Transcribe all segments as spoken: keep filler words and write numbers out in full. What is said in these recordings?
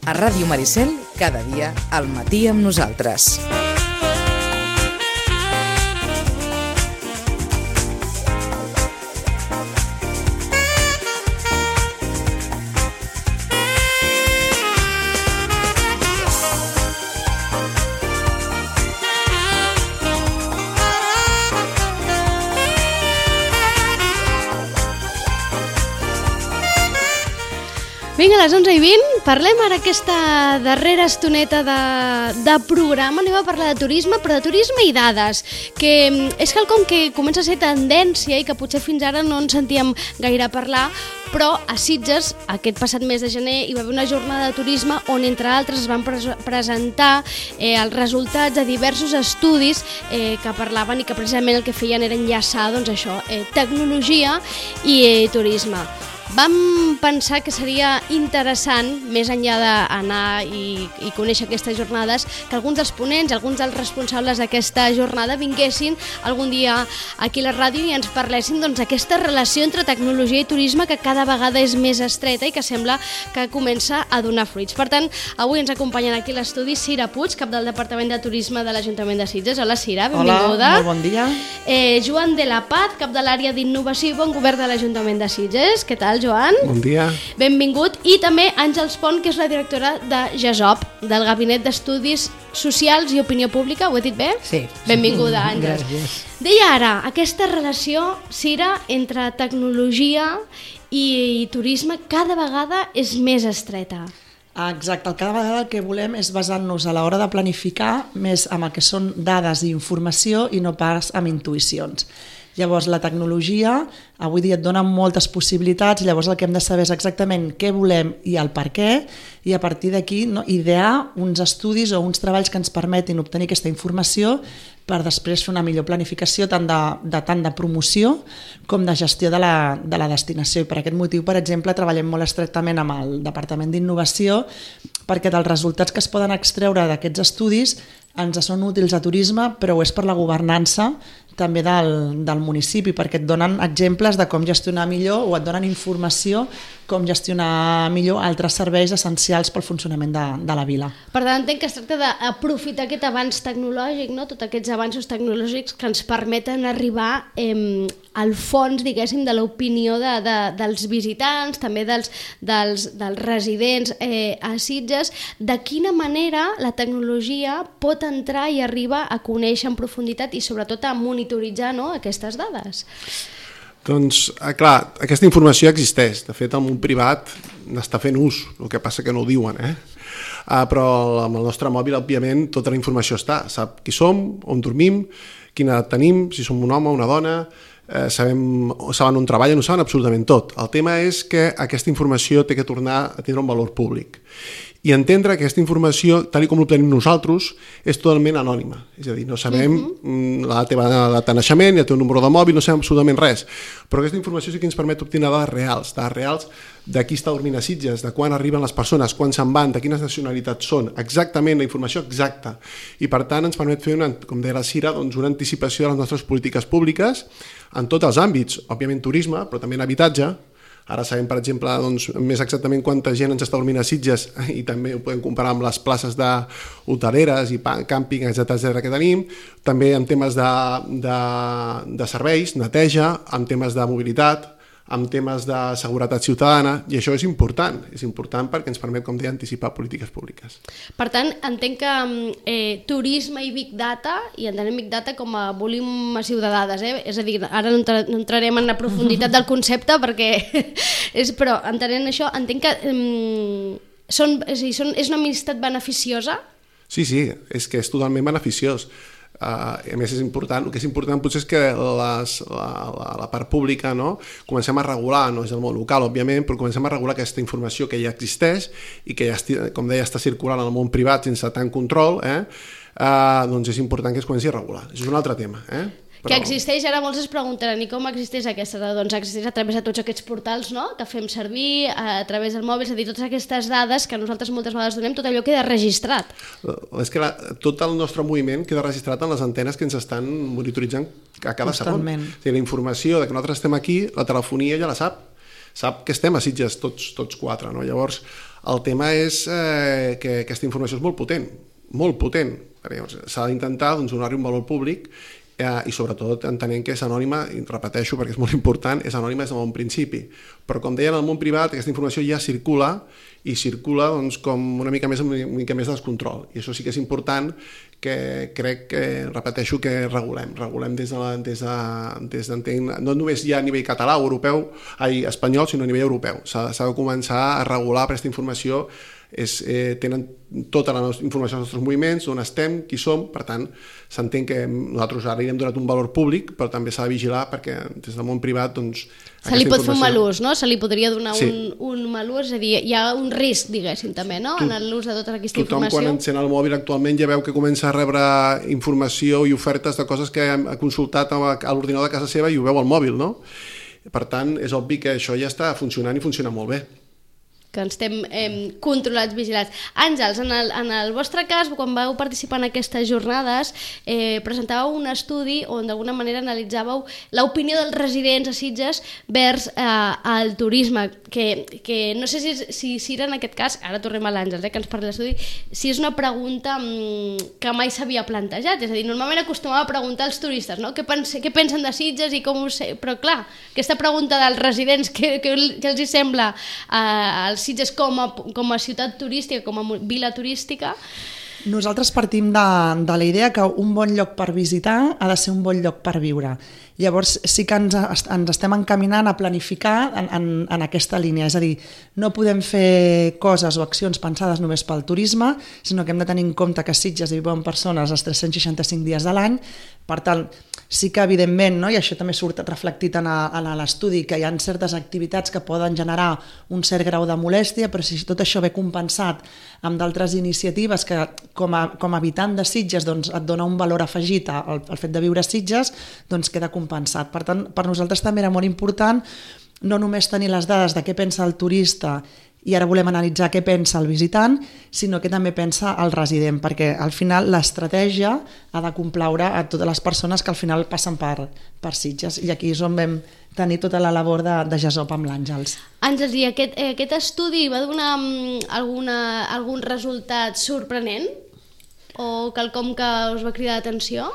A Ràdio Maricel, cada dia al matí amb nosaltres. Vinga, a les onze i vint, parlem ara aquesta darrera estoneta de, de programa. Anem a parlar de turisme, però de turisme i dades, que és quelcom que comença a ser tendència i que potser fins ara no ens sentíem gaire parlar, però a Sitges, aquest passat mes de gener, hi va haver una jornada de turisme on, entre altres, es van pre- presentar eh, els resultats de diversos estudis eh, que parlaven i que precisament el que feien era enllaçar, doncs això, eh, tecnologia i eh, turisme. Vam pensar que seria interessant, més enllà d'anar i, i conèixer aquestes jornades, que alguns dels ponents, alguns dels responsables d'aquesta jornada vinguessin algun dia aquí a la ràdio i ens parlessin doncs, d'aquesta relació entre tecnologia i turisme que cada vegada és més estreta i que sembla que comença a donar fruits. Per tant, avui ens acompanyen aquí a l'estudi Cira Puig, cap del Departament de Turisme de l'Ajuntament de Sitges. Hola, Cira, benvinguda. Hola, molt bon dia. Eh, Joan de la Paz, cap de l'àrea d'innovació i bon govern de l'Ajuntament de Sitges. Què tal, Joan? Bon dia. Benvingut. I també Àngels Pont, que és la directora de GESOP, del Gabinet d'Estudis Socials i Opinió Pública. Ho he dit bé? Sí. Benvinguda, Àngels. Gràcies. Deia ara, aquesta relació, Cira, entre tecnologia i, i turisme cada vegada és més estreta. Exacte, cada vegada el que volem és basar-nos a l'hora de planificar més amb el que són dades i informació i no pas amb intuïcions. Llavors, la tecnologia avui dia et dona moltes possibilitats, llavors el que hem de saber és exactament què volem i el per què, i a partir d'aquí no, idear uns estudis o uns treballs que ens permetin obtenir aquesta informació per després fer una millor planificació tant de, de, tant de promoció com de gestió de la, de la destinació. I per aquest motiu, per exemple, treballem molt estretament amb el Departament d'Innovació perquè dels resultats que es poden extreure d'aquests estudis ens són útils a turisme, però ho és per la governança també del, del municipi, perquè et donen exemples de com gestionar millor o et donen informació com gestionar millor altres serveis essencials pel funcionament de, de la vila. Per tant, entenc que es tracta d'aprofitar aquest avanç tecnològic, no? Tots aquests avanços tecnològics que ens permeten arribar eh, al fons, diguéssim, de l'opinió de, de, dels visitants, també dels, dels, dels residents eh, a Sitges. De quina manera la tecnologia pot entrar i arribar a conèixer en profunditat i sobretot a monitoritzar, no?, aquestes dades? Doncs, clar, aquesta informació existeix. De fet, el món privat n'està fent ús, el que passa que no ho diuen, eh? Uh, però amb el nostre mòbil, òbviament, tota la informació està. Sap qui som, on dormim, quina edat tenim, si som un home o una dona, eh, sabem, saben on treballen, ho saben absolutament tot. El tema és que aquesta informació té que tornar a tindre un valor públic. I entendre que aquesta informació, tal com l'obtenim nosaltres, és totalment anònima. És a dir, no sabem uh-huh. la teva data de naixement, el teu número de mòbil, no sabem absolutament res. Però aquesta informació sí que ens permet obtenir dades reals, dades reals de qui està dormint a Sitges, de quan arriben les persones, quan se'n van, de quines nacionalitats són, exactament la informació exacta. I per tant ens permet fer, una, com deia la Cira, doncs una anticipació de les nostres polítiques públiques en tots els àmbits, òbviament turisme, però també en habitatge. Ara sabem, per exemple, doncs, més exactament quanta gent ens està dormint a Sitges i també ho podem comparar amb les places d'hoteleres i càmping, etcètera que tenim. També en temes de, de, de serveis, neteja, en temes de mobilitat, en temes de seguretat ciutadana, i això és important, és important perquè ens permet, com deia, anticipar polítiques públiques. Per tant, entenc que eh, turisme i Big Data, i entenem Big Data com a volum massiu de dades, eh? És a dir, ara no, entra, no entrarem en la profunditat del concepte, perquè és, però entenent això, entenc que eh, són, és, a dir, són, és una amistat beneficiosa? Sí, sí, és que és totalment beneficiós. Uh, a més és important, el que és important potser és que les, la, la, la part pública, no? Comencem a regular, no és el món local òbviament, però comencem a regular aquesta informació que ja existeix i que ja, com deia, està circulant en el món privat sense tant control, eh? uh, doncs és important que es comenci a regular. Això és un altre tema, eh? Però... que existeix, ara molts es preguntaran, i com existeix aquesta? Doncs existeix a través de tots aquests portals, no?, que fem servir, a través del mòbil, és a dir, totes aquestes dades que nosaltres moltes vegades donem, tot allò queda registrat. És que la, tot el nostre moviment queda registrat en les antenes que ens estan monitoritzant a cada segon. O sigui, la informació de que nosaltres estem aquí, la telefonia ja la sap, sap que estem a Sitges tots, tots quatre, no? Llavors, El tema és eh, que aquesta informació és molt potent, molt potent. S'ha d'intentar doncs, donar-hi un valor públic eh, i sobretot entenent que és anònima, i repeteixo perquè és molt important, és anònima des del bon principi. Però com deia, en el món privat aquesta informació ja circula i circula doncs, com una mica més una mica més de descontrol. I això sí que és important que crec que, repeteixo, que regulem. Regulem des de, la, des de, des d'entenc, no només ja a nivell català o europeu, ai, espanyol, sinó a nivell europeu. S'ha, s'ha de començar a regular aquesta informació. És, eh, tenen tota la nostra informació dels nostres moviments, on estem, qui som, per tant, s'entén que nosaltres ara hi hem donat un valor públic, però també s'ha de vigilar perquè des del món privat, doncs... Se li pot informació... fer un mal ús, no? Se li podria donar sí. un, un mal ús, és a dir, hi ha un risc, diguéssim, també, no? Tu, en l'ús de tota aquesta tothom, informació. Tothom, quan encén el mòbil actualment ja veu que comença a rebre informació i ofertes de coses que ha consultat a l'ordinador de casa seva i ho veu al mòbil, no? Per tant, és obvi que això ja està funcionant i funciona molt bé. Que ens estem eh, controlats, vigilats. Àngels, en el, en el vostre cas, quan vau participar en aquestes jornades, eh, presentàveu un estudi on d'alguna manera analitzàveu l'opinió dels residents a Sitges vers eh, el turisme, que, que no sé si, si, si era en aquest cas, ara tornem a l'Àngels, eh, que ens parla de l'estudi, si és una pregunta mm, que mai s'havia plantejat, és a dir, normalment acostumava a preguntar als turistes, no? Què, pense, què pensen de Sitges i com ho sé, però clar, aquesta pregunta dels residents, què, què, què els hi sembla eh, als Sitges com a, com a ciutat turística, com a vila turística. Nosaltres partim de, de la idea que un bon lloc per visitar ha de ser un bon lloc per viure. Llavors sí que ens, ens estem encaminant a planificar en, en, en aquesta línia, és a dir, no podem fer coses o accions pensades només pel turisme, sinó que hem de tenir en compte que Sitges hi viuen persones els tres-cents seixanta-cinc dies de l'any, per tant, sí que evidentment, no, i això també surt reflectit en, a, en l'estudi, que hi ha certes activitats que poden generar un cert grau de molèstia, però si tot això ve compensat amb d'altres iniciatives que com a, com a habitant de Sitges doncs, et dona un valor afegit al, al fet de viure a Sitges, doncs queda compensat. Per tant, per nosaltres també era molt important no només tenir les dades de què pensa el turista i ara volem analitzar què pensa el visitant, sinó que també pensa el resident, perquè al final l'estratègia ha de complaure a totes les persones que al final passen per, per Sitges, i aquí és on vam tenir tota la labor de, de GESOP amb l'Àngels. Àngels, i aquest, eh, aquest estudi va donar alguna, algun resultat sorprenent? O quelcom que us va cridar l'atenció?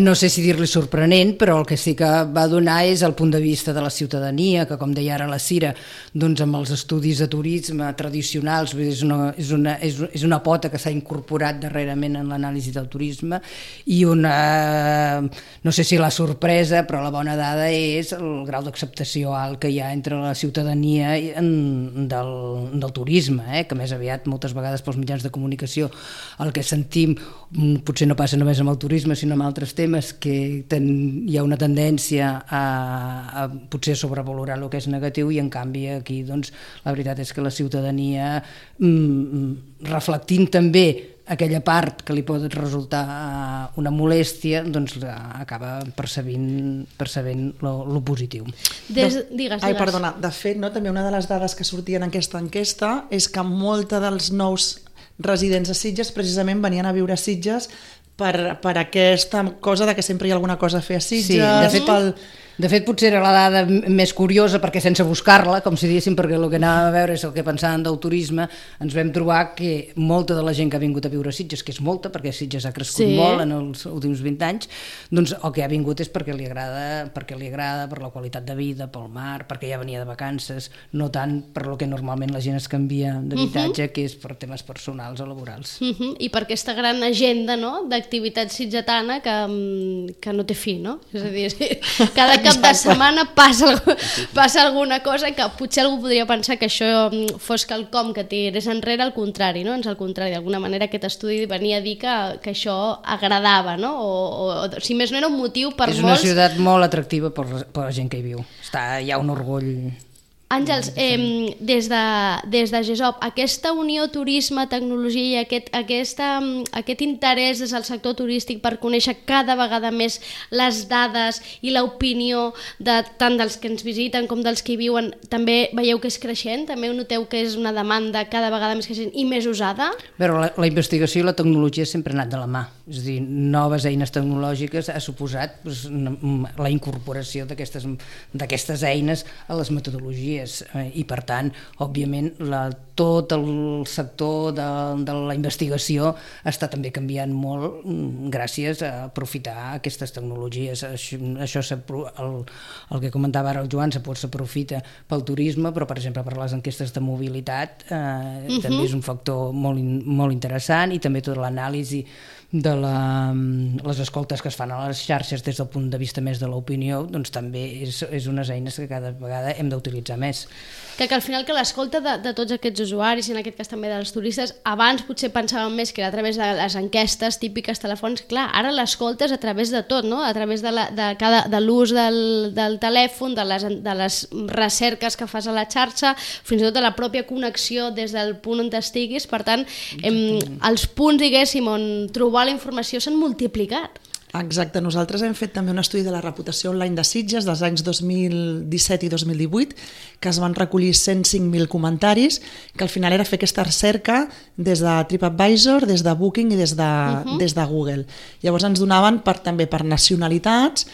No sé si dir-li sorprenent, però el que sí que va donar és el punt de vista de la ciutadania, que com deia ara la Cira, doncs amb els estudis de turisme tradicionals és una, és una, és, és una pota que s'ha incorporat darrerament en l'anàlisi del turisme, i una, no sé si la sorpresa, però la bona dada és el grau d'acceptació alt que hi ha entre la ciutadania en, del, del turisme, eh? Que més aviat moltes vegades pels mitjans de comunicació el que sentim potser no passa només amb el turisme sinó amb altres temes, que ten, hi ha una tendència a, a potser sobrevalorar el que és negatiu, i en canvi aquí doncs, la veritat és que la ciutadania mm, reflectint també aquella part que li pot resultar una molèstia, doncs acaba percebint, percebent lo, lo positiu. Des, digues, Ai, digues. perdona, de fet, no, també una de les dades que sortien en aquesta enquesta és que molta dels nous residents a Sitges precisament venien a viure a Sitges per, per aquesta cosa de que sempre hi ha alguna cosa a fer a Sitges. Sí, de fet, pel... de fet potser era la dada més curiosa, perquè sense buscar-la, com si diguéssim, perquè el que anàvem a veure és el que pensàvem del turisme, ens vam trobar que molta de la gent que ha vingut a viure a Sitges, que és molta, perquè Sitges ha crescut sí. molt en els últims vint anys, doncs el que ha vingut és perquè li agrada, perquè li agrada per la qualitat de vida, pel mar, perquè ja venia de vacances, no tant per lo que normalment la gent es canvia d'habitatge, uh-huh. que és per temes personals o laborals. Uh-huh. I per aquesta gran agenda, no?, d'activitat sitgetana que, que no té fi, no? És a dir, cada cap de setmana passa, passa alguna cosa que potser algú podria pensar que això fos quelcom que tirés enrere, al contrari, no? Ens al contrari, d'alguna manera aquest estudi venia a dir que, que això agradava, no? O, o si més no era un motiu per molts... És una ciutat molt atractiva per, per la gent que hi viu. Està, hi ha un orgull... Àngels, eh, des, de, des de GESOP, aquesta unió turisme-tecnologia i aquest, aquesta, aquest interès des del sector turístic per conèixer cada vegada més les dades i l'opinió de, tant dels que ens visiten com dels que hi viuen, també veieu que és creixent? També noteu que és una demanda cada vegada més creixent i més usada? Però la, la investigació i la tecnologia sempre han anat de la mà. És a dir, noves eines tecnològiques ha suposat doncs, la incorporació d'aquestes eines a les metodologies tecnologies eh, i per tant, òbviament, la, tot el sector de, de la investigació està també canviant molt gràcies a aprofitar aquestes tecnologies. Això, això el, el que comentava ara el Joan, s'aprofita pel turisme, però per exemple per les enquestes de mobilitat eh, uh-huh. també és un factor molt, molt interessant, i també tota l'anàlisi de la, les escoltes que es fan a les xarxes des del punt de vista més de l'opinió, doncs també és, és unes eines que cada vegada hem d'utilitzar més. Que, que al final que l'escolta de, de tots aquests usuaris, i en aquest cas també dels turistes, abans potser pensàvem més que era a través de les enquestes típiques telefòniques, clar, ara l'escolta és a través de tot, no? A través de, la, de, cada, de l'ús del, del telèfon, de les, de les recerques que fas a la xarxa, fins i tot de la pròpia connexió des del punt on estiguis. Per tant, em, els punts, diguéssim, on trobar la informació s'han multiplicat. Exacte, nosaltres hem fet també un estudi de la reputació online de Sitges dels anys dos mil disset i dos mil divuit, que es van recollir cent cinc mil comentaris, que al final era fer aquesta recerca des de TripAdvisor, des de Booking i des de, uh-huh. des de Google. Llavors ens donaven per, també per nacionalitats,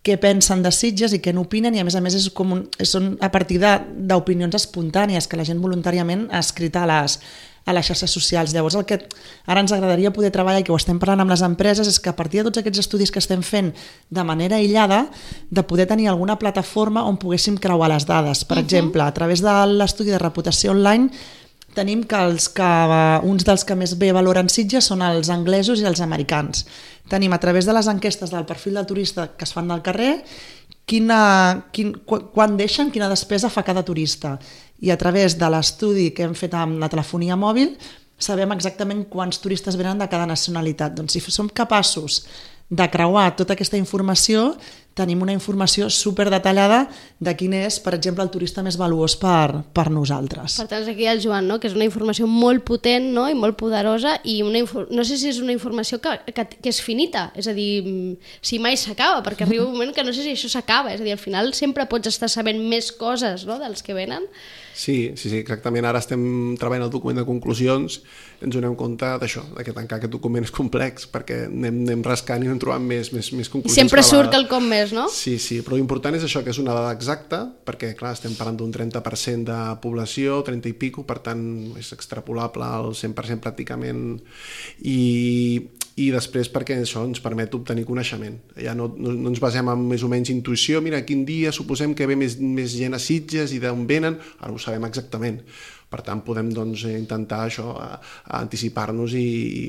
què pensen de Sitges i què n'opinen, i a més a més és com un, són a partir d'opinions espontànies que la gent voluntàriament ha escrit a les, a les xarxes socials. Llavors el que ara ens agradaria poder treballar, i que ho estem parlant amb les empreses, és que a partir de tots aquests estudis que estem fent de manera aïllada, de poder tenir alguna plataforma on poguéssim creuar les dades. Per uh-huh. exemple, a través de l'estudi de reputació online tenim que, els que uns dels que més bé valoren Sitges són els anglesos i els americans. Tenim a través de les enquestes del perfil del turista que es fan del carrer, quina, quin, quan deixen, quina despesa fa cada turista. I a través de l'estudi que hem fet amb la telefonia mòbil sabem exactament quants turistes venen de cada nacionalitat. Doncs si som capaços de creuar tota aquesta informació, tenim una informació superdetallada de quin és, per exemple, el turista més valuós per, per nosaltres. Per tant, aquí el Joan, no? Que és una informació molt potent, no? I molt poderosa, i una no sé si és una informació que, que, que és finita, és a dir, si mai s'acaba, perquè arriba un moment que no sé si això s'acaba, és a dir, al final sempre pots estar sabent més coses, no? Dels que venen. Sí, sí, sí, exactament. Ara estem treballant el document de conclusions, ens donem compte d'això, de que tancar aquest document és complex, perquè anem, anem rascant i anem trobant més, més, més conclusions. I sempre surt quelcom més, no? Sí, sí, però l'important és això, que és una dada exacta, perquè, clar, estem parlant d'un trenta per cent de població, trenta i pico, per tant, és extrapolable al cent per cent pràcticament, i... i després perquè això ens permet obtenir coneixement. Ja no, no, no ens basem en més o menys intuïció, mira, quin dia suposem que ve més, més gent a Sitges i d'on venen, ara ho sabem exactament. Per tant, podem doncs, intentar això, a, a anticipar-nos i,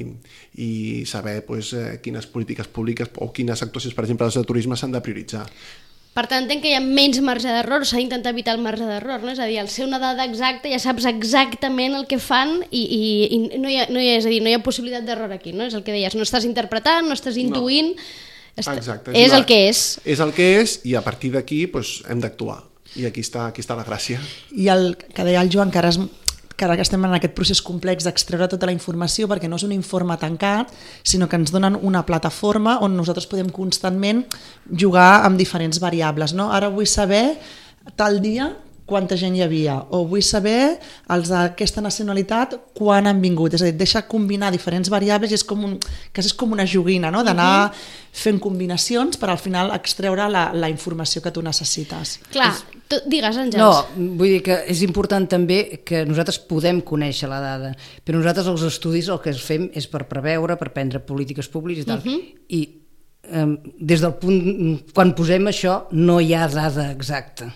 i saber pues, quines polítiques públiques o quines actuacions, per exemple, de turisme s'han de prioritzar. Per tant, entenc que hi ha menys marge d'error, s'ha d'intentar evitar el marge d'error, no? És a dir, al ser una dada exacta ja saps exactament el que fan i, i, i no, hi ha, no, hi ha, és a dir, no hi ha possibilitat d'error aquí, no? És el que deies, no estàs interpretant, no estàs intuint, no. Est... Exacte, és, és la... el que és. És el que és i a partir d'aquí pues, hem d'actuar i aquí està, aquí està la gràcia. I el que deia el Joan, que ara és... que ara que estem en aquest procés complex d'extreure tota la informació, perquè no és un informe tancat, sinó que ens donen una plataforma on nosaltres podem constantment jugar amb diferents variables. No? Ara vull saber tal dia quanta gent hi havia, o vull saber els d'aquesta nacionalitat quan han vingut, és a dir, deixa combinar diferents variables i és com, un, que és com una joguina, no? D'anar uh-huh. fent combinacions per al final extreure la, la informació que tu necessites. Clar, tu, digues, Àngels. No, vull dir que és important també que nosaltres podem conèixer la dada, però nosaltres els estudis el que fem és per preveure, per prendre polítiques públiques i tal, uh-huh. i eh, des del punt, quan posem això no hi ha dada exacta,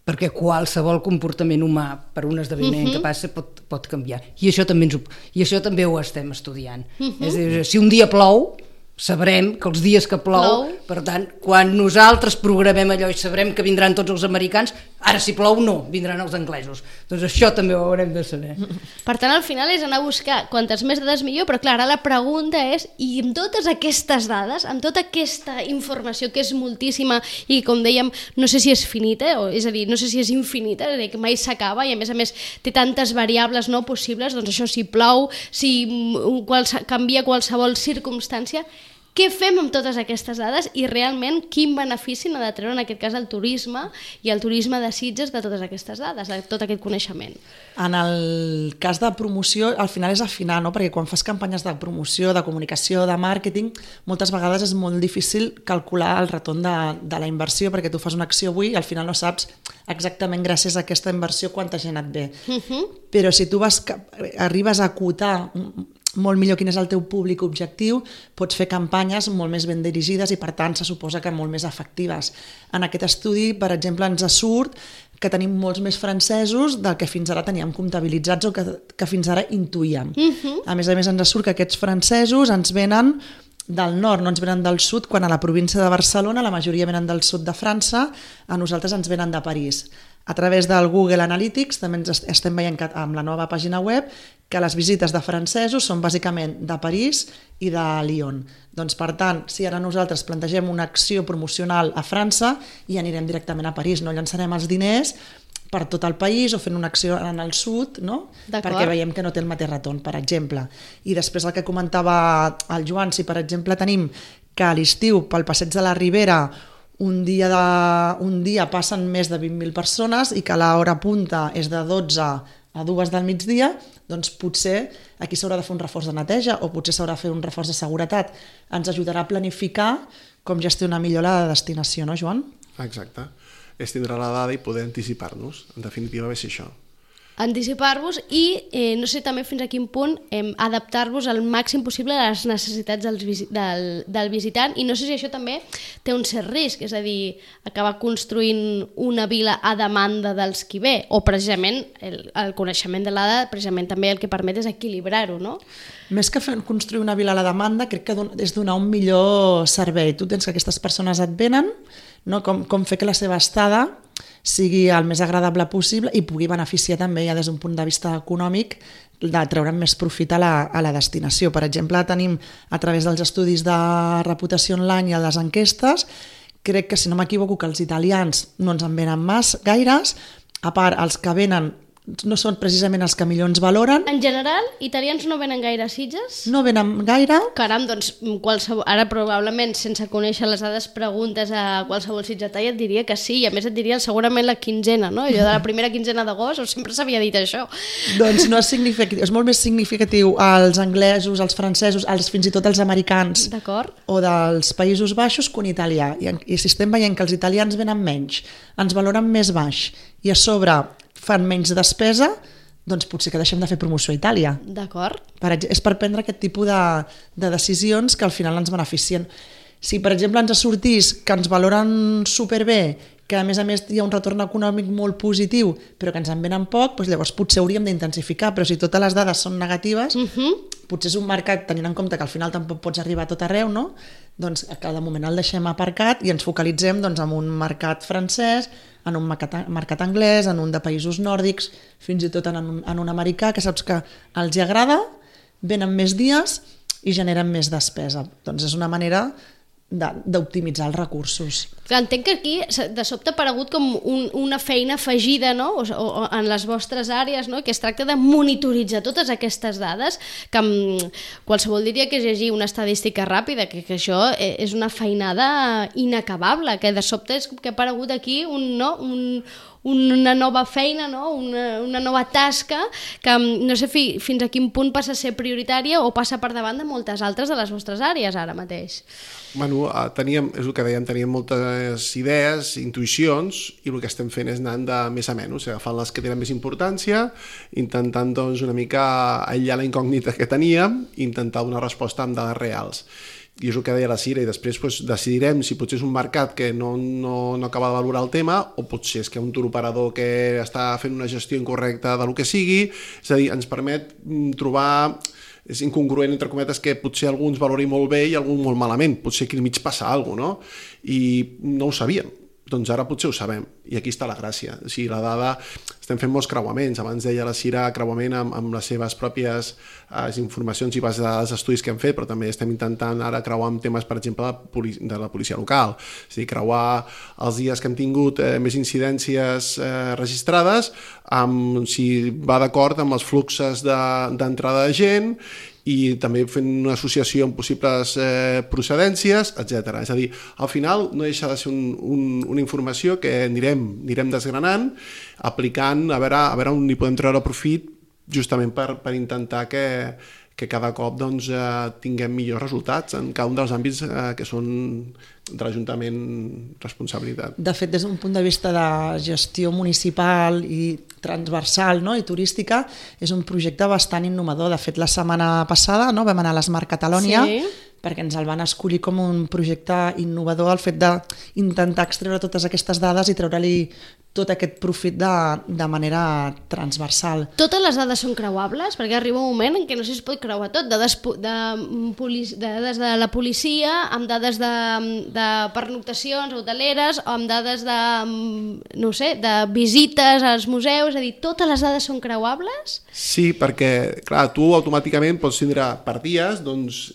perquè qualsevol comportament humà per un esdeveniment uh-huh. que passa pot, pot canviar. I això, també ens ho, I això també ho estem estudiant. Uh-huh. És a dir, si un dia plou, sabrem que els dies que plou, plou, per tant, quan nosaltres programem allò i sabrem que vindran tots els americans, ara si plou no, vindran els anglesos. Doncs això també ho haurem de saber. Per tant, al final és anar a buscar quantes més dades millor, però clar, ara la pregunta és, i amb totes aquestes dades, amb tota aquesta informació que és moltíssima i, com dèiem, no sé si és finita, o, és a dir, no sé si és infinita, és a dir, que mai s'acaba i a més a més té tantes variables no possibles, doncs això, si plou, si quals, canvia qualsevol circumstància, què fem amb totes aquestes dades i realment quin benefici n'ha de treure en aquest cas el turisme i el turisme de Sitges de totes aquestes dades, de tot aquest coneixement. En el cas de promoció, al final és afinar, no? Perquè quan fas campanyes de promoció, de comunicació, de màrqueting, moltes vegades és molt difícil calcular el retorn de, de la inversió, perquè tu fas una acció avui i al final no saps exactament gràcies a aquesta inversió quanta gent et ve. Uh-huh. Però si tu vas, arribes a acotar molt millor quin és el teu públic objectiu, pots fer campanyes molt més ben dirigides i per tant se suposa que molt més efectives. En aquest estudi, per exemple, ens surt que tenim molts més francesos del que fins ara teníem comptabilitzats o que, que fins ara intuïem. Uh-huh. A més a més ens surt que aquests francesos ens venen del nord, no ens venen del sud, quan a la província de Barcelona la majoria venen del sud de França, a nosaltres ens venen de París. A través del Google Analytics també ens estem veient que, amb la nova pàgina web, que les visites de francesos són bàsicament de París i de Lyon. Doncs per tant, si ara nosaltres plantegem una acció promocional a França i anirem directament a París, no llançarem els diners per tot el país o fent una acció en el sud, no? Perquè veiem que no té el mateix retorn, per exemple. I després el que comentava el Joan, si per exemple tenim que a l'estiu pel passeig de la Ribera un dia, de, un dia passen més de vint mil persones i que l'hora punta és de dotze a dues del migdia, doncs potser aquí s'haurà de fer un reforç de neteja o potser s'haurà de fer un reforç de seguretat. Ens ajudarà a planificar com gestionar millor la destinació, no, Joan? Exacte. És tindre la dada i poder anticipar-nos. En definitiva, va ser això. Anticipar-vos i, eh, no sé també fins a quin punt, eh, adaptar-vos al màxim possible a les necessitats del, del, del visitant, i no sé si això també té un cert risc, és a dir, acabar construint una vila a demanda dels qui ve, o precisament el, el coneixement de l'A D A precisament també el que permet és equilibrar-ho, no? Més que fer, construir una vila a la demanda, crec que don, és donar un millor servei. Tu tens que aquestes persones et venen, no? com, com fer que la seva estada sigui el més agradable possible i pugui beneficiar també ja des d'un punt de vista econòmic de treure'n més profit a la, a la destinació. Per exemple, tenim a través dels estudis de reputació online i a les enquestes, crec que si no m'equivoco que els italians no ens en venen mas, gaires, a part els que venen no són precisament els que millor ens valoren. En general, italians no venen gaire a Sitges? No venen gaire. Caram, doncs qualsevol, ara probablement sense conèixer les dades preguntes a qualsevol sitgetà i et diria que sí, i a més et diria segurament la quinzena, no? Allò de la primera quinzena d'agost, sempre s'havia dit això. Doncs no és significatiu, és molt més significatiu als anglesos, als francesos, als, fins i tot als americans o dels Països Baixos que un italià. I, I si estem veient que els italians venen menys, ens valoren més baix i a sobre fan menys despesa, doncs potser que deixem de fer promoció a Itàlia. D'acord. Per, és per prendre aquest tipus de, de decisions que al final ens beneficien. Si, per exemple, ens sortís que ens valoren superbé, que a més a més hi ha un retorn econòmic molt positiu, però que ens en venen poc, doncs llavors potser hauríem d'intensificar, però si totes les dades són negatives, uh-huh. potser és un mercat, tenint en compte que al final tampoc pots arribar a tot arreu, no? Doncs que de moment el deixem aparcat i ens focalitzem doncs, en un mercat francès, en un mercat, mercat anglès, en un de països nòrdics, fins i tot en un, en un americà, que saps que els hi agrada, venen més dies i generen més despesa. Doncs és una manera d'optimitzar els recursos. Entenc que aquí de sobte ha aparegut com un, una feina afegida, no? o, o, en les vostres àrees, no? Que es tracta de monitoritzar totes aquestes dades, que qualsevol diria que és llegir una estadística ràpida, que, que això és una feinada inacabable, que de sobte és que ha aparegut aquí un, no? un, una nova feina, no? una, una nova tasca que no sé fi, fins a quin punt passa a ser prioritària o passa per davant de moltes altres de les vostres àrees ara mateix. Bueno, teníem, és el que dèiem, teníem moltes idees, intuïcions, i el que estem fent és anant de més a menys, agafant les que tenen més importància, intentant doncs, una mica aïllar la incògnita que teníem i intentar donar resposta amb dades reals. I és el que deia la Cira, i després pues, decidirem si potser és un mercat que no, no, no acaba de valorar el tema o potser és que un turoperador que està fent una gestió incorrecta de lo que sigui, és a dir, ens permet trobar, és incongruent entre cometes que potser algú ens valori molt bé i algú molt malament, potser aquí al mig passa alguna cosa, no? I no ho sabíem. Doncs ara potser ho sabem, i aquí està la gràcia. O sigui, la dada, estem fent molts creuaments, abans deia la Cira creuament amb, amb les seves pròpies eh, informacions i bases de dades d'estudis que hem fet, però també estem intentant ara creuar amb temes, per exemple, de, policia, de la policia local, és a dir, creuar els dies que hem tingut eh, més incidències eh, registrades, amb, si va d'acord amb els fluxes d'entrada de, de gent, i també fent una associació amb possibles eh, procedències, etcètera. És a dir, al final no deixa de ser un, un, una informació que anirem, anirem desgranant, aplicant, a veure, a veure on hi podem treure profit, justament per, per intentar que, que cada cop doncs, eh, tinguem millors resultats en cada un dels àmbits eh, que són de l'Ajuntament responsabilitat. De fet, des d'un punt de vista de gestió municipal i transversal, no? I turística, és un projecte bastant innovador. De fet, la setmana passada, no? Vam anar a l'Smart Catalonia, sí, perquè ens el van escollir com un projecte innovador, el fet d'intentar extreure totes aquestes dades i treure-li tot aquest profit de, de manera transversal. Totes les dades són creuables? Perquè arriba un moment en què no sé si es pot creuar tot, dades de, polic, de, dades de la policia, amb dades de, de pernoctacions hoteleres, o amb dades de, no sé, de visites als museus, és a dir, totes les dades són creuables? Sí, perquè, clar, tu automàticament pots tindre per dies, doncs,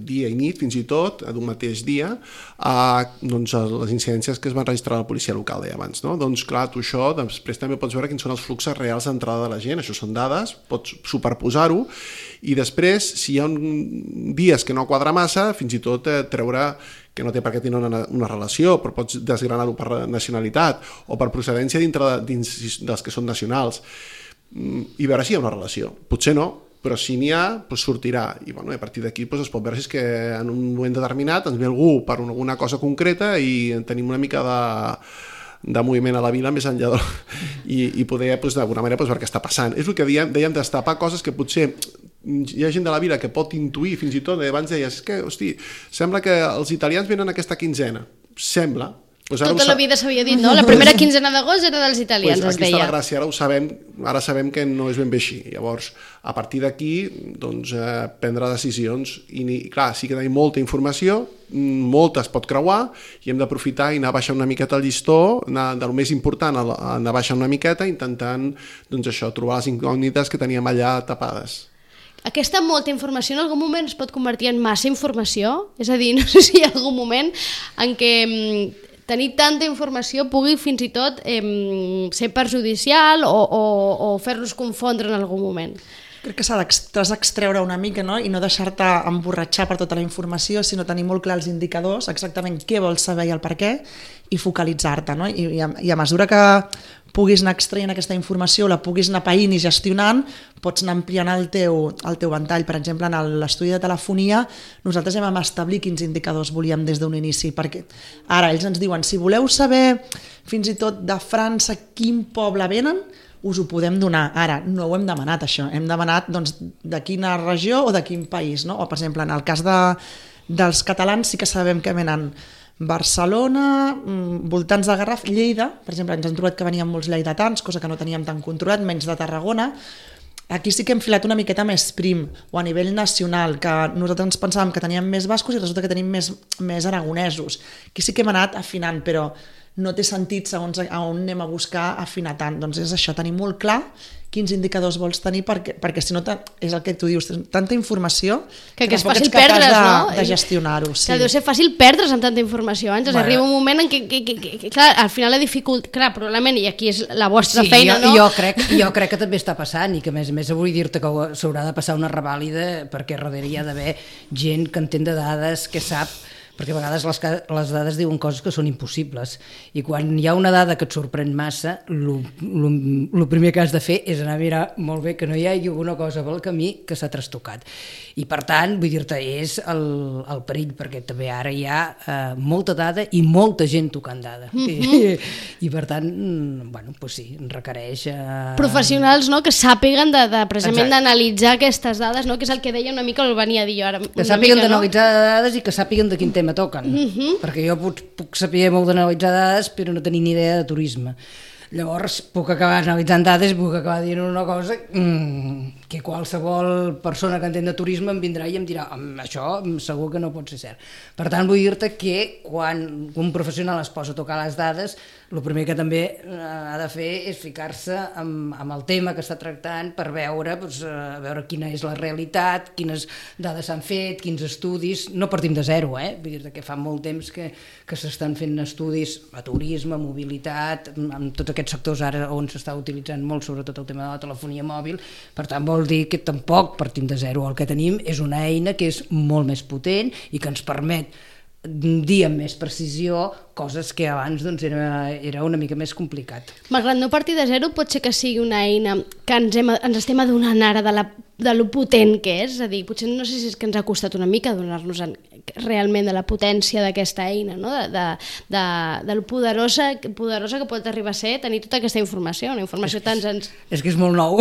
dia i nit, fins i tot, d'un mateix dia, a, doncs, les incidències que es van registrar a la policia local, deia abans, no? Doncs clar, tu això, després també pots veure quins són els fluxos reals d'entrada de la gent, això són dades, pots superposar-ho, i després, si hi ha un dies que no quadra massa, fins i tot eh, treure que no té per què tenir una, una relació, però pots desgranar-ho per nacionalitat o per procedència dintre de, dins dels que són nacionals, i veure si hi ha una relació. Potser no, però si n'hi ha, doncs sortirà. I bueno, a partir d'aquí doncs, es pot veure si és que en un moment determinat ens ve algú per alguna cosa concreta i tenim una mica de de moviment a la vila més enllà de... I, i poder doncs, d'alguna manera doncs, veure què està passant. És el que dèiem, dèiem destapar coses que potser hi ha gent de la vila que pot intuir fins i tot, abans deies, és que, hosti, sembla que els italians venen aquesta quinzena, sembla. Pues ara tota la vida s'havia dit, no? La primera quinzena d'agost era dels italians, pues es deia. Aquí està la gràcia, ara ho sabem, ara sabem que no és ben bé així. Llavors, a partir d'aquí, doncs, eh, prendre decisions. I, i clar, sí que tenim molta informació, molta es pot creuar, i hem d'aprofitar i anar baixant una miqueta el llistó, anar del més important a anar baixant una miqueta, intentant, doncs això, trobar les incògnites que teníem allà tapades. Aquesta molta informació en algun moment es pot convertir en massa informació? És a dir, no sé si hi ha algun moment en què tenir tanta informació pugui fins i tot eh, ser perjudicial o, o, o fer-los confondre en algun moment. Crec que s'has d'extreure una mica, no? I no deixar-te emborratxar per tota la informació, sinó tenir molt clar els indicadors, exactament què vols saber i el per què, i focalitzar-te, no? I, i, a, i a mesura que puguis anar extraient aquesta informació, la puguis anar païnt i gestionant, pots anar ampliant el teu, el teu ventall. Per exemple, en l'estudi de telefonia, nosaltres vam establir quins indicadors volíem des d'un inici, perquè ara ells ens diuen, si voleu saber fins i tot de França quin poble venen, us ho podem donar. Ara, no ho hem demanat, això. Hem demanat doncs, de quina regió o de quin país, no? O, per exemple, en el cas de, dels catalans sí que sabem que venen Barcelona, voltants de Garraf, Lleida, per exemple, ens hem trobat que venien molts lleidatans, cosa que no teníem tan controlat, menys de Tarragona. Aquí sí que hem filat una miqueta més prim, o a nivell nacional, que nosaltres ens pensàvem que teníem més bascos i resulta que tenim més, més aragonesos. Aquí sí que hem anat afinant, però no té sentit segons a on anem a buscar afinar tant. Doncs és això, tenir molt clar quins indicadors vols tenir, perquè, perquè si no és el que tu dius, tanta informació que, que és fàcil perdre's, de, no? de gestionar-ho. Sí. Que deu ser fàcil perdre's amb tanta informació. Ens bueno. Arriba un moment en què, que, que, que, que clar, al final la dificultat, clar, probablement, i aquí és la vostra sí, feina, jo, no? Jo crec, jo crec que també està passant, i que a més a més vull dir-te que s'haurà de passar una revàlida, perquè darrere hi ha d'haver gent que entén de dades, que sap, perquè a vegades les, les dades diuen coses que són impossibles, i quan hi ha una dada que et sorprèn massa, el primer que has de fer és anar a mirar molt bé que no hi hagi alguna cosa pel camí que s'ha trastocat. I per tant, vull dir-te, és el, el perill, perquè també ara hi ha eh, molta dada i molta gent tocant dada. Mm-hmm. I, I per tant, bueno, pues sí, requereix... Eh... professionals, no?, que sàpiguen de, de, precisament d'analitzar aquestes dades, no?, que és el que deia una mica, el venia a dir jo ara. Que sàpiguen d'analitzar no? dades i que sàpiguen de quin tema me toquen, uh-huh. perquè jo puc, puc saber molt d'analitzar dades però no tenir ni idea de turisme. Llavors puc acabar analitzant dades, puc acabar dient una cosa mmm, que qualsevol persona que entén de turisme em vindrà i em dirà això segur que no pot ser cert. Per tant, vull dir-te que quan un professional es posa a tocar les dades, el primer que també ha de fer és ficar-se amb, amb el tema que està tractant per veure, doncs, a veure quina és la realitat, quines dades s'han fet, quins estudis. No partim de zero, eh? Vull dir-te que fa molt temps que, que s'estan fent estudis a turisme, mobilitat, amb tots aquests sectors ara on s'està utilitzant molt sobretot el tema de la telefonia mòbil. Per tant, vol dir que tampoc partim de zero. El que tenim és una eina que és molt més potent i que ens permet dir amb més precisió coses que abans doncs, era, era una mica més complicat. Malgrat no partir de zero, pot ser que sigui una eina que ens, hem, ens estem adonant ara de, la, de lo potent que és, és a dir, potser no sé si és que ens ha costat una mica adonar-nos realment de la potència d'aquesta eina, no? de, de, de, de lo poderosa, poderosa que pot arribar a ser tenir tota aquesta informació, una informació tan... Ens... És que és molt nou.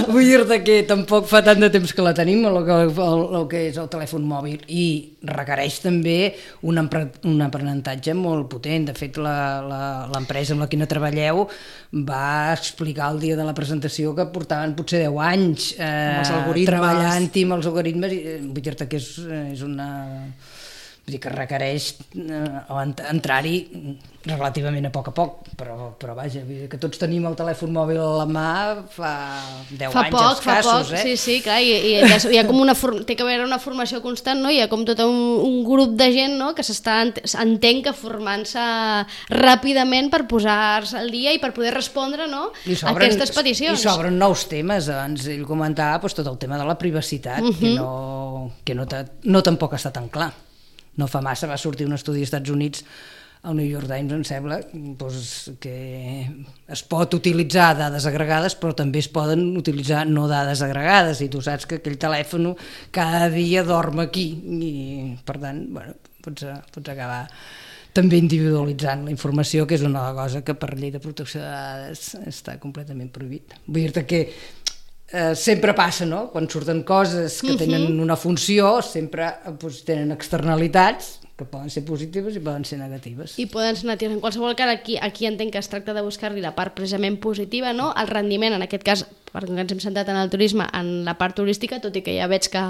Vull dir-te que tampoc fa tant de temps que la tenim, el que, el, el que és el telèfon mòbil, i requereix també un, un aprenentatge molt potent. De fet, l'empresa amb la quina treballeu va explicar el dia de la presentació que portaven potser deu anys eh, treballant-hi amb els algoritmes, i vull dir-te que és, és una... Vull dir que requereix eh, entrar-hi relativament a poc a poc, però, però vaja, vull dir que tots tenim el telèfon mòbil a la mà fa deu fa anys poc, escassos, fa poc, eh? sí, sí, clar, i, i hi ha, hi ha com una for... té que haver una formació constant, no? Hi ha com tot un, un grup de gent, no? Que s'està, entenc que formant-se ràpidament per posar-se al dia i per poder respondre, no? a aquestes peticions. I s'obren nous temes, abans ell comentava doncs, tot el tema de la privacitat, uh-huh. que, no, que no, no tampoc està tan clar. No fa massa va sortir un estudi als Estats Units, al New York Times, em sembla, doncs, que es pot utilitzar dades agregades, però també es poden utilitzar no dades agregades, i tu saps que aquell telèfon cada dia dorm aquí, i per tant, bueno, pots, pots acabar també individualitzant la informació, que és una cosa que per llei de protecció de dades està completament prohibit. Vull dir-te que Eh, sempre passa, no? Quan surten coses que tenen uh-huh. una funció, sempre doncs, tenen externalitats que poden ser positives i poden ser negatives. I poden ser negatives. En qualsevol cas, aquí, aquí entenc que es tracta de buscar-li la part precisament positiva, no? El rendiment, en aquest cas, perquè ens hem centrat en el turisme, en la part turística, tot i que ja veig que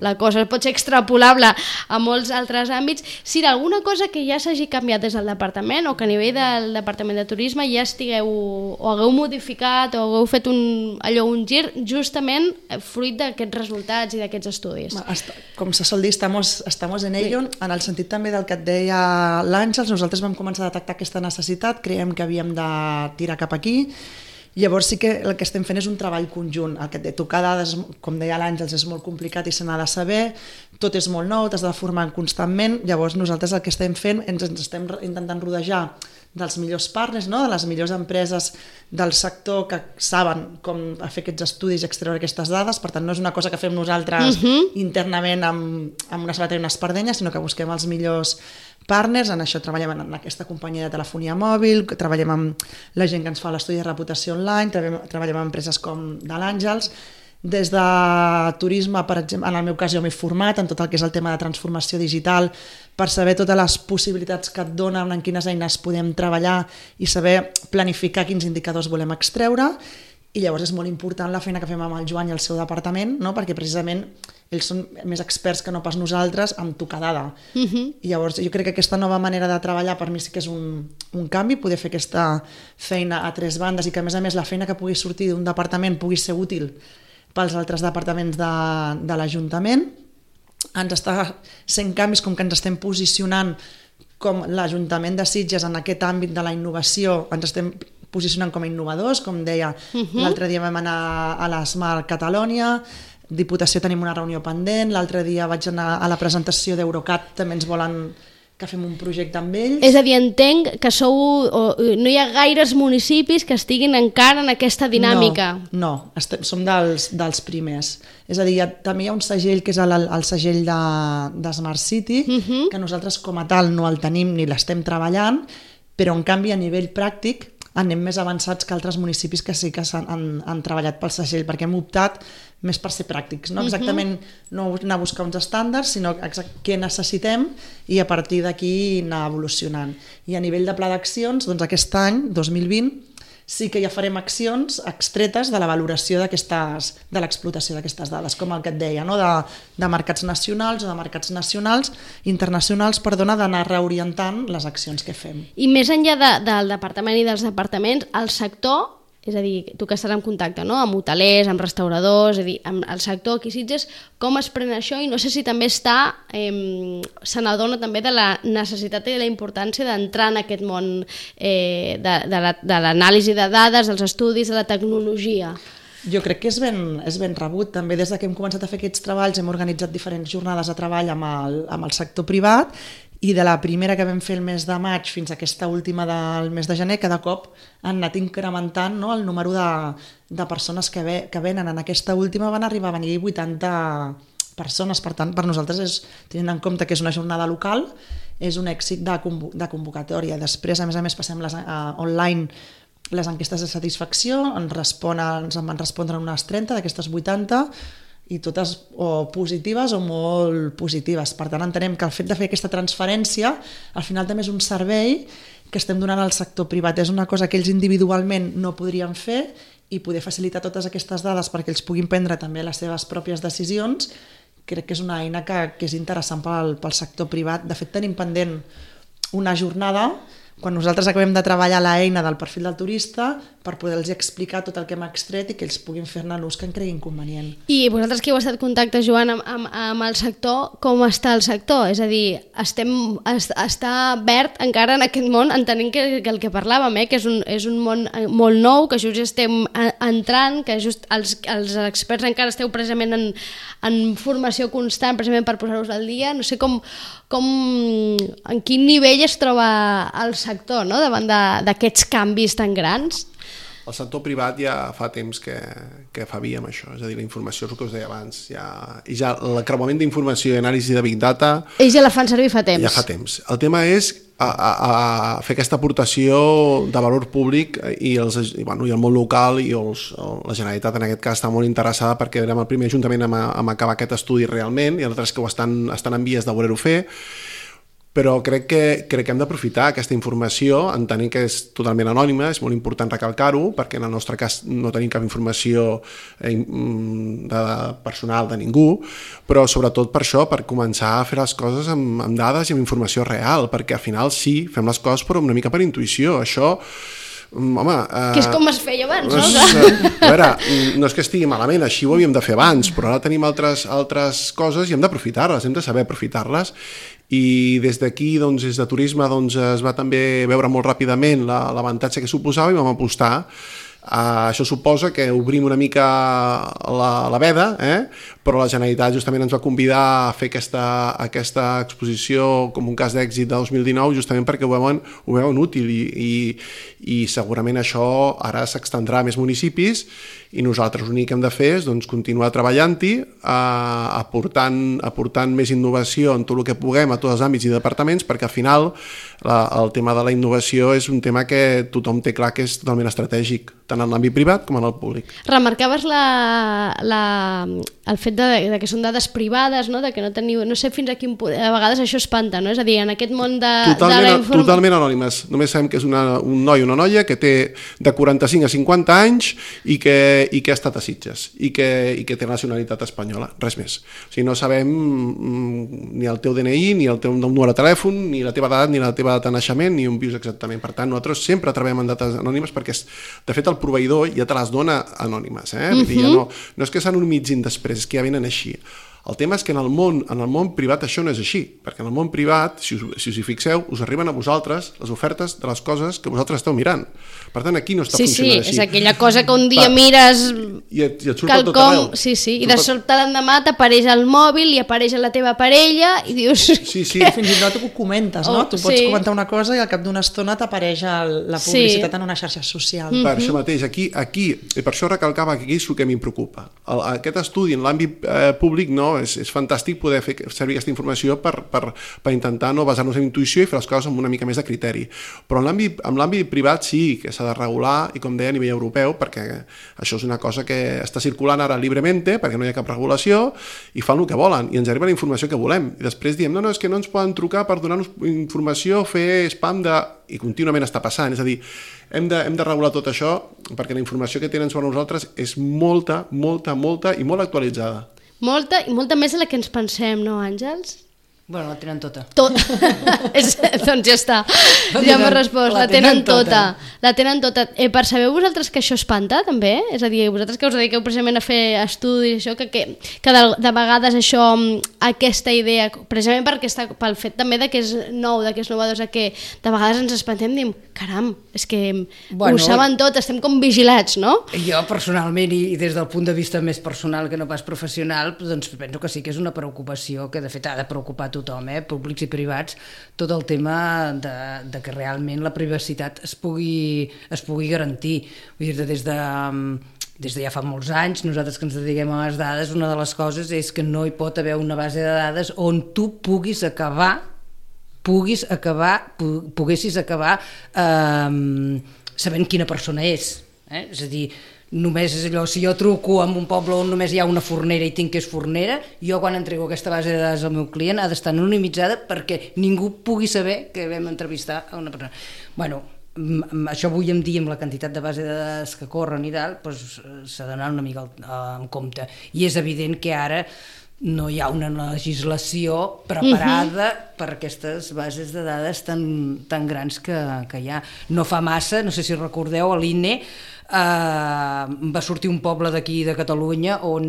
la cosa pot ser extrapolable a molts altres àmbits. Si alguna cosa que ja s'hagi canviat des del departament, o que a nivell del departament de turisme ja estigueu, o hagueu modificat, o hagueu fet un, allò, un gir, justament fruit d'aquests resultats i d'aquests estudis. Com se sol dir, estamos, estamos en ello, sí. En el sentit també del que et deia l'Àngels, nosaltres vam començar a detectar aquesta necessitat, creiem que havíem de tirar cap aquí. Llavors sí que el que estem fent és un treball conjunt. El que et de tocar dades, com deia l'Àngels, és molt complicat i se n'ha de saber, tot és molt nou, t'has de formar constantment. Llavors nosaltres el que estem fent, ens, ens estem intentant rodejar dels millors partners, no? De les millors empreses del sector que saben com fer aquests estudis i extreure aquestes dades. Per tant, no és una cosa que fem nosaltres uh-huh. internament amb, amb una sabata i una espardenya, sinó que busquem els millors partners. En això treballem en aquesta companyia de telefonia mòbil, treballem amb la gent que ens fa l'estudi de reputació online, treballem, treballem amb empreses com de l'Àngels. Des de turisme, per exemple, en el meu cas jo m'he format en tot el que és el tema de transformació digital per saber totes les possibilitats que et donen, en quines eines podem treballar i saber planificar quins indicadors volem extreure. I llavors és molt important la feina que fem amb el Joan i el seu departament, no? Perquè precisament ells són més experts que no pas nosaltres en tocar dada. Uh-huh. I llavors jo crec que aquesta nova manera de treballar per mi sí que és un, un canvi, poder fer aquesta feina a tres bandes i que a més a més la feina que pugui sortir d'un departament pugui ser útil pels altres departaments de, de l'Ajuntament. Ens està sent canvis com que ens estem posicionant com l'Ajuntament de Sitges en aquest àmbit de la innovació, ens estem posicionant com a innovadors, com deia, uh-huh. l'altre dia vam anar a l'Smart Catalonia, Diputació tenim una reunió pendent, l'altre dia vaig anar a la presentació d'Eurocat, també ens volen que fem un projecte amb ells. És a dir, entenc que sou, o, no hi ha gaires municipis que estiguin encara en aquesta dinàmica. No, no estem, som dels, dels primers. És a dir, hi ha, també hi ha un segell que és el, el segell de, de Smart City, uh-huh. que nosaltres com a tal no el tenim ni l'estem treballant, però en canvi a nivell pràctic anem més avançats que altres municipis que sí que han, han, han treballat pel segell, perquè hem optat més per ser pràctics, no exactament no anar a buscar uns estàndards, sinó què necessitem i a partir d'aquí anar evolucionant. I a nivell de pla d'accions, doncs aquest any, dos mil vint, sí que ja farem accions extretes de la valoració d'aquestes, de l'explotació d'aquestes dades, com el que et deia, no? de, de mercats nacionals o de mercats nacionals, internacionals, perdona, d'anar reorientant les accions que fem. I més enllà de, del departament i dels departaments, el sector, és a dir, tu que estàs en contacte, no? Amb hotelers, amb restauradors, és a dir, amb el sector aquí Sitges, com es pren això? I no sé si també està, eh, se n'adona també de la necessitat i de la importància d'entrar en aquest món eh, de, de l'anàlisi de dades, dels estudis, de la tecnologia. Jo crec que és ben, és ben rebut. També des que hem començat a fer aquests treballs hem organitzat diferents jornades de treball amb el, amb el sector privat i de la primera que vam fer el mes de maig fins a aquesta última del mes de gener, cada cop han anat incrementant, no, el número de, de persones que, ve, que venen. En aquesta última van arribar a venir vuitanta persones, per tant, per nosaltres, és, tenint en compte que és una jornada local, és un èxit de, convo de convocatòria. Després, a més a més, passem les, uh, online les enquestes de satisfacció, ens, responen, ens en van respondre unes trenta d'aquestes vuitanta, i totes o positives o molt positives. Per tant, entenem que el fet de fer aquesta transferència al final també és un servei que estem donant al sector privat. És una cosa que ells individualment no podrien fer i poder facilitar totes aquestes dades perquè ells puguin prendre també les seves pròpies decisions, crec que és una eina que, que és interessant pel, pel sector privat. De fet, tenim pendent una jornada quan nosaltres acabem de treballar l'eina del perfil del turista per poder-los explicar tot el que hem extret i que ells puguin fer-ne l'ús que en creguin convenient. I vosaltres que heu estat en contacte, Joan, amb, amb, amb el sector, com està el sector? És a dir, estem, es, està verd encara en aquest món, entenent que, que el que parlàvem, eh, que és un, és un món molt nou, que just estem entrant, que just els, els experts encara esteu precisament en, en formació constant, precisament per posar-vos al dia. No sé com, com, en quin nivell es troba el sector, no?, davant d'aquests canvis tan grans. El sector privat ja fa temps que, que fa via amb això, és a dir, la informació és el que us deia abans, ja, i ja l'acreuament d'informació i anàlisi de Big Data... Ells ja la fan servir fa temps. Ja fa temps. El tema és a, a, a fer aquesta aportació de valor públic i, els, i, bueno, i el món local i els, la Generalitat en aquest cas està molt interessada perquè érem el primer ajuntament a, a acabar aquest estudi realment i altres que ho estan, estan en vies de voler-ho fer, però crec que, crec que hem d'aprofitar aquesta informació, entenent que és totalment anònima, és molt important recalcar-ho, perquè en el nostre cas no tenim cap informació de personal de ningú, però sobretot per això, per començar a fer les coses amb, amb dades i amb informació real, perquè al final sí, fem les coses però una mica per intuïció, això... Home, eh, que és com es feia abans, no? És, a veure, no és que estigui malament, així ho havíem de fer abans, però ara tenim altres, altres coses i hem d'aprofitar-les, hem de saber aprofitar-les, i des d'aquí, doncs, des de turisme, doncs, es va també veure molt ràpidament l'avantatge que suposava i vam apostar. Uh, això suposa que obrim una mica la, la veda, eh? Però la Generalitat justament ens va convidar a fer aquesta, aquesta exposició com un cas d'èxit de dos mil dinou justament perquè ho veuen, ho veuen útil i, i, i segurament això ara s'extendrà a més municipis i nosaltres l'únic que hem de fer és doncs, continuar treballant-hi, uh, aportant, aportant més innovació en tot el que puguem a tots els àmbits i departaments perquè al final la, el tema de la innovació és un tema que tothom té clar que és totalment estratègic, tant en l'àmbit privat com en el públic. Remarcaves la, la, el fet de, de que són dades privades, no? De que no teniu, no sé fins a quin punt, a vegades això espanta, no? És a dir, en aquest món de, totalment, de la informació... Totalment anònimes, només sabem que és una, un noi o una noia que té de quaranta-cinc a cinquanta anys i que, i que ha estat a Sitges i que, i que té nacionalitat espanyola, res més. O sigui, no sabem ni el teu D N I, ni el teu número de telèfon, ni la teva edat, ni la teva data de naixement, ni on vius exactament. Per tant, nosaltres sempre treballem en dates anònimes perquè, de fet, el proveïdor ja te les dona anònimes, eh? Uh-huh. Ja no, no és que s'anonimitzin després, és que ja venen així. El tema és que en el món, en el món privat això no és així, perquè en el món privat, si us, si us hi fixeu, us arriben a vosaltres les ofertes de les coses que vosaltres esteu mirant. Per tant, aquí no està sí, funcionant sí, així. Sí, és aquella cosa que un dia Va. mires... I et, i et surt quelcom, tot arreu. sí, sí, i de sobte l'endemà t'apareix el mòbil i apareix la teva parella i dius... Sí, sí. Fins i tot ho comentes, no? Oh, tu pots sí. comentar una cosa i al cap d'una estona t'apareix la publicitat sí. en una xarxa social. Per això mateix, aquí, aquí, i per això recalcava que aquí és el que m'hi preocupa. El, aquest estudi en l'àmbit eh, públic no, és, és fantàstic poder fer servir aquesta informació per, per, per intentar no basar-nos en intuïció i fer les coses amb una mica més de criteri. Però en l'àmbit en l'àmbit privat sí que s'ha de regular i com deia a nivell europeu perquè això és una cosa que està circulant ara lliurement perquè no hi ha cap regulació i fan el que volen i ens arriba la informació que volem i després diem no, no, és que no ens poden trucar per donar-nos informació, fer spam de... i contínuament està passant, és a dir, hem de, hem de regular tot això perquè la informació que tenen sobre nosaltres és molta, molta, molta i molt actualitzada. Molta, i molta més de la que ens pensem, no, Àngels? Bueno, la tenen tota. Tot. És, doncs ja està, ja m'ha respost, la, la tenen, tenen tota. tota. La tenen tota. Eh, percebeu vosaltres que això espanta, també? És a dir, vosaltres que us dediqueu precisament a fer estudis, això, que, que, que de, de vegades això, aquesta idea, precisament perquè està, pel fet també de que és nou, de que és novedós, que de vegades ens espantem i diem, caram, és que bueno, ho saben tot, estem com vigilats, no? Jo personalment, i des del punt de vista més personal que no pas professional, doncs penso que sí que és una preocupació que de fet ha de preocupar tothom, eh? Públics i privats, tot el tema de, de que realment la privacitat es pugui, es pugui garantir. Vull dir, des de, des de ja fa molts anys, nosaltres que ens dediquem a les dades, una de les coses és que no hi pot haver una base de dades on tu puguis acabar puguis acabar, poguessis acabar eh, sabent quina persona és. Eh? És a dir, només és allò, si jo truco en un poble on només hi ha una fornera i tinc que és fornera, jo quan entrego aquesta base de dades al meu client ha d'estar anonimitzada perquè ningú pugui saber que vam entrevistar a una persona. Bueno, això avui en dia, amb la quantitat de base de dades que corren i tal, doncs, s'ha d'anar una mica en compte. I és evident que ara no hi ha una legislació preparada uh-huh. per aquestes bases de dades tan, tan grans que, que hi ha. No fa massa, no sé si recordeu, a l'I N E eh, va sortir un poble d'aquí de Catalunya on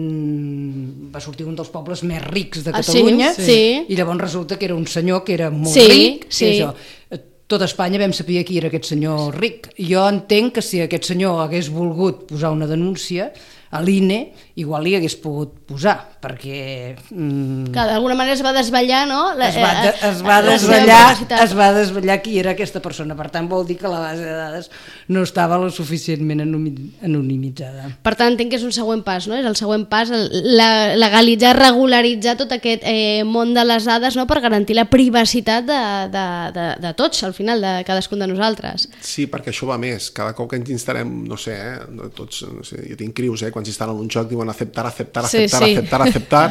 va sortir un dels pobles més rics de Catalunya ah, sí? Sí. I llavors resulta que era un senyor que era molt sí, ric sí. I això, tot Espanya vam saber qui era aquest senyor ric. Jo entenc que si aquest senyor hagués volgut posar una denúncia a l'I N E, igual hi hagués pogut posar, perquè... Mm, Clar, d'alguna manera es va desvetllar, no? La, es, va de, es, va desvetllar, es va desvetllar qui era aquesta persona, per tant vol dir que la base de dades no estava lo suficientment anonimitzada. Per tant, entenc que és un següent pas, no? És el següent pas, el, la, legalitzar, regularitzar tot aquest eh, món de les dades, no? Per garantir la privacitat de, de, de, de tots, al final, de cadascun de nosaltres. Sí, perquè això va més. Cada cop que ens instal·lem, no sé, eh, tots, no sé, jo tinc crius, eh, quan s'instal·len un joc diuen acceptar, acceptar, sí, acceptar, sí. acceptar, acceptar,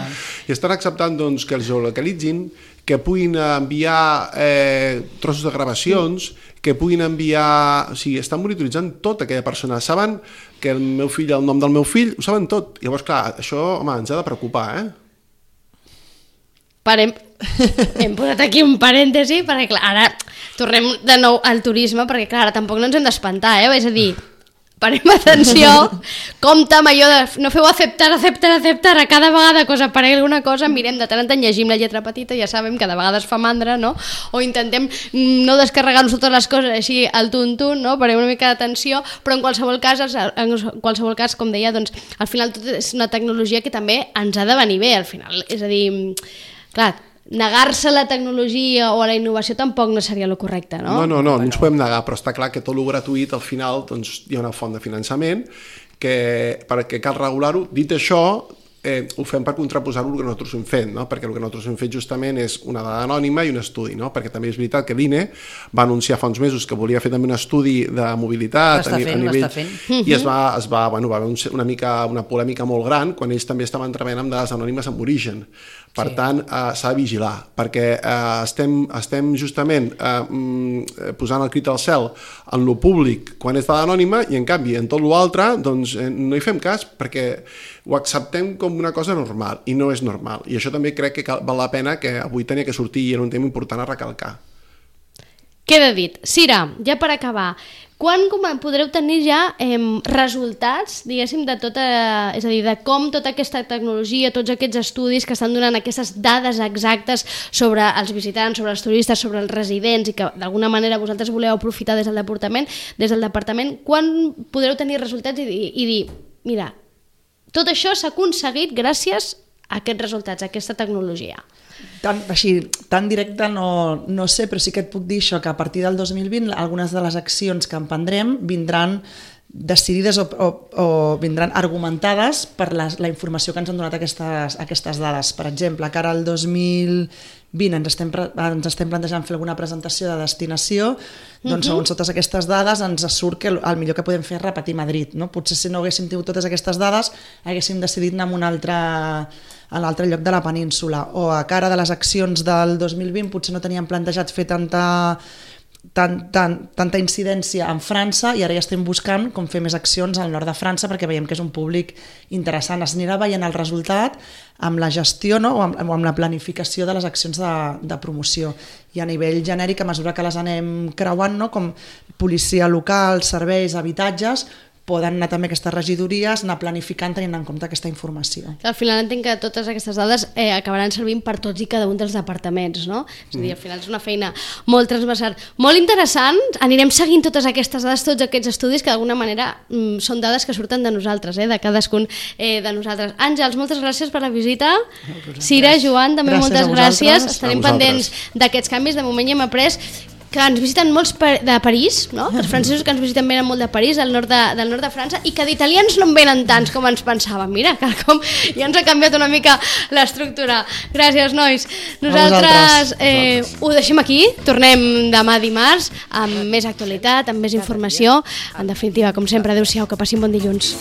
i estan acceptant doncs, que els geolocalitzin, que puguin enviar eh, trossos de gravacions, que puguin enviar... O sigui, estan monitoritzant tota aquella persona. Saben que el meu fill, el nom del meu fill, ho saben tot. I llavors, clar, això, home, ens ha de preocupar, eh? Parem. Hem posat aquí un parèntesi, perquè clar, ara tornem de nou al turisme, perquè clar, ara tampoc no ens hem d'espantar, eh? És a dir, parem atenció, compte amb allò de no feu acceptar, acceptar, acceptar a cada vegada que us aparegui alguna cosa, mirem de tant en tant, llegim la lletra petita, ja sabem que de vegades fa mandra, no? O intentem no descarregar-nos totes les coses així al tuntun, no? Parem una mica d'atenció, però en qualsevol cas, en qualsevol cas, com deia, doncs, al final tot és una tecnologia que també ens ha de venir bé, al final, és a dir, clar, negar-se a la tecnologia o a la innovació tampoc no seria el correcte, no? No, no, no, no ens podem negar, però està clar que tot el gratuït al final doncs, hi ha una font de finançament que perquè cal regular-ho. Dit això, eh, ho fem per contraposar-ho al que nosaltres hem fet, no? Perquè el que nosaltres hem fet justament és una dada anònima i un estudi, no? Perquè també és veritat que l'I N E va anunciar fa uns mesos que volia fer també un estudi de mobilitat l'està fent, a nivell... l'està fent. I es va, es va, bueno, va haver una, mica, una polèmica molt gran quan ells també estaven treballant amb dades anònimes amb origen. Per sí. tant, eh, s'ha de vigilar, perquè eh, estem, estem justament eh, posant el crit al cel en lo públic quan és dada anònima i en canvi en tot l'altre doncs, eh, no hi fem cas perquè ho acceptem com una cosa normal i no és normal. I això també crec que cal, val la pena que avui tenia que sortir i era un tema important a recalcar. Queda dit. Cira, ja per acabar, quan podreu tenir ja eh, resultats, diguéssim, de tota, és a dir, de com tota aquesta tecnologia, tots aquests estudis que estan donant aquestes dades exactes sobre els visitants, sobre els turistes, sobre els residents i que d'alguna manera vosaltres voleu aprofitar des del departament, des del departament, quan podreu tenir resultats i, i, i dir, mira, tot això s'ha aconseguit gràcies a aquests resultats, a aquesta tecnologia? Tan, així, tan directe no, no sé, però sí que et puc dir això, que a partir del dos mil vint algunes de les accions que emprendrem vindran decidides o, o, o vindran argumentades per les, la informació que ens han donat aquestes, aquestes dades. Per exemple, que ara el dos mil vint ens estem, ens estem plantejant fer alguna presentació de destinació, doncs segons totes aquestes dades ens surt que el, el millor que podem fer és repetir Madrid, no? Potser si no haguéssim tingut totes aquestes dades haguéssim decidit anar a un altre, a l'altre lloc de la península, o a cara de les accions del dos mil vint potser no teníem plantejat fer tanta tant, tant, tanta incidència en França i ara ja estem buscant com fer més accions al nord de França perquè veiem que és un públic interessant. Es anirà veient el resultat amb la gestió, no? o, amb, o amb la planificació de les accions de, de promoció. I a nivell genèric, a mesura que les anem creuant, no? Com policia local, serveis, habitatges, poden anar també aquestes regidories, anar planificant tenint en compte aquesta informació. Al final entenc que totes aquestes dades eh, acabaran servint per tots i cada un dels departaments, no? És a dir, al final és una feina molt transversal, molt interessant, anirem seguint totes aquestes dades, tots aquests estudis que d'alguna manera mm, són dades que surten de nosaltres, eh, de cadascun eh, de nosaltres. Àngels, moltes gràcies per la visita. Cira, Joan, també gràcies moltes gràcies. Estarem pendents vosaltres. d'aquests canvis. De moment ja hem après que ens visiten molts de París, no? Els francesos que ens visiten venen molt de París, del nord de, del nord de França, i que d'italians no en venen tants com ens pensàvem. Mira, que com ja ens ha canviat una mica l'estructura. Gràcies, nois. Nosaltres eh, ho deixem aquí, tornem demà dimarts amb més actualitat, amb més informació. En definitiva, com sempre, adeu-siau, que passin bon dilluns.